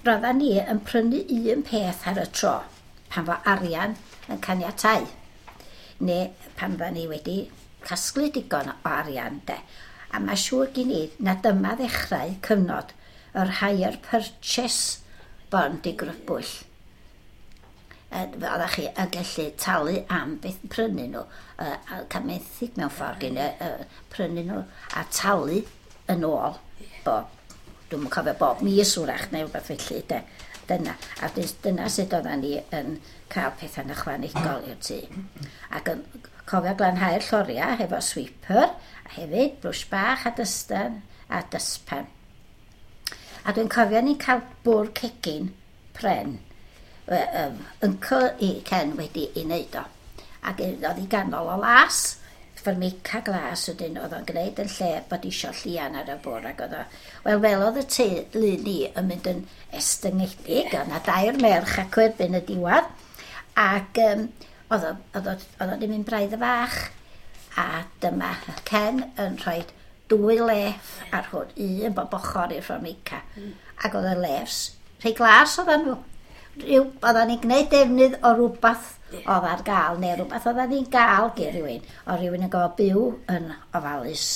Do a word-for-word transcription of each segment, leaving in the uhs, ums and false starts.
Roeddan ni yn prynu un peth ar y tro pan fo arian yn caniatáu, neu pan fyddan ni wedi casglu digon o arian, de. A mae siŵr gen i na dyma ddechrau cyfnod yr hire purchase bond i grybwyll. Oeddech chi yn gallu talu am beth prynu nhw, uh, a cael menthyg mewn ffordd gyn uh, prynu nhw a talu yn ôl bob, dwi'm yn cofio, bob mis wrach neu rhywbeth felly, de. Dyna, a dyna sut oedden ni yn cael pethau'n ychwanegol i'r tŷ. Ac yn cofio glanhau'r lloriau hefo sweeper, a hefyd brwsh bach a dystan a dustpan. A dwi'n cofio ni'n cael bwrdd cegin pren, um, uncle i Ken wedi ei wneud o. Ac oedd i ganol o las, Formica glas wedyn oedd o'n gwneud yn lle bod isio llian ar y bwrdd ac oedd o. Wel, fel oedd y teulu ni yn mynd yn estyngedig, oedd 'na dair merch ac erbyn y diwedd, ac um, oedd o, oedd o, oedd o 'di mynd braidd y fach, a dyma Ken yn rhoi dwy leff ar hwn, un bob ochr i'r Formica. Mm. Ac oedd y leffs, rhai glas oedden nhw. Rhyw, oedden ni'n gwneud defnydd o rhywbeth oedd ar gael, neu rhywbeth oedden ni'n gael gen rhywun, o rhywun yn gofio byw yn ofalus.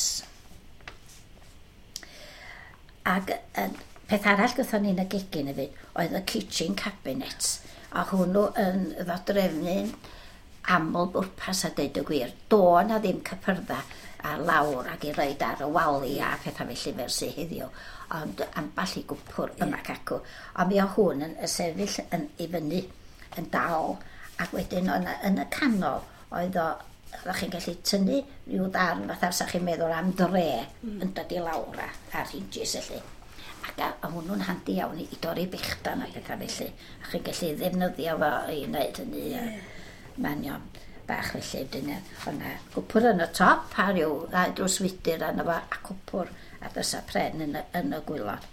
Ac uh, peth arall gyda ni'n y gegin hefyd oedd y kitchen cabinet. A hwnnw yn ddodrefnu'n aml bwrpas a deud y gwir. Do na ddim cypyrdda ar lawr ac i roid ar y walia a pethau felly fel sydd heddiw. Ond ambell i gwpwr yma acw. Ond mi o hwn yn, yn sefyll yn, i fyny yn dal, ac wedyn o'na, yn y canol oedd o, oeddech chi'n gallu tynnu rhyw ddarn fatha sa chi'n meddwl am dre mm. yn dod i lawr a, ar hinges felly. Ac a, a hwnnw'n handi iawn i, i dorri bechdan a pethau felly. A chi'n gallu ddefnyddio fo i wneud hynny. Yeah. Manion bach felly. Wedyn o'na gwpwr yn y top a rhyw ddau drws wydyr arno fo a cwpwr a dysa pren yn y, yn y gwaelod.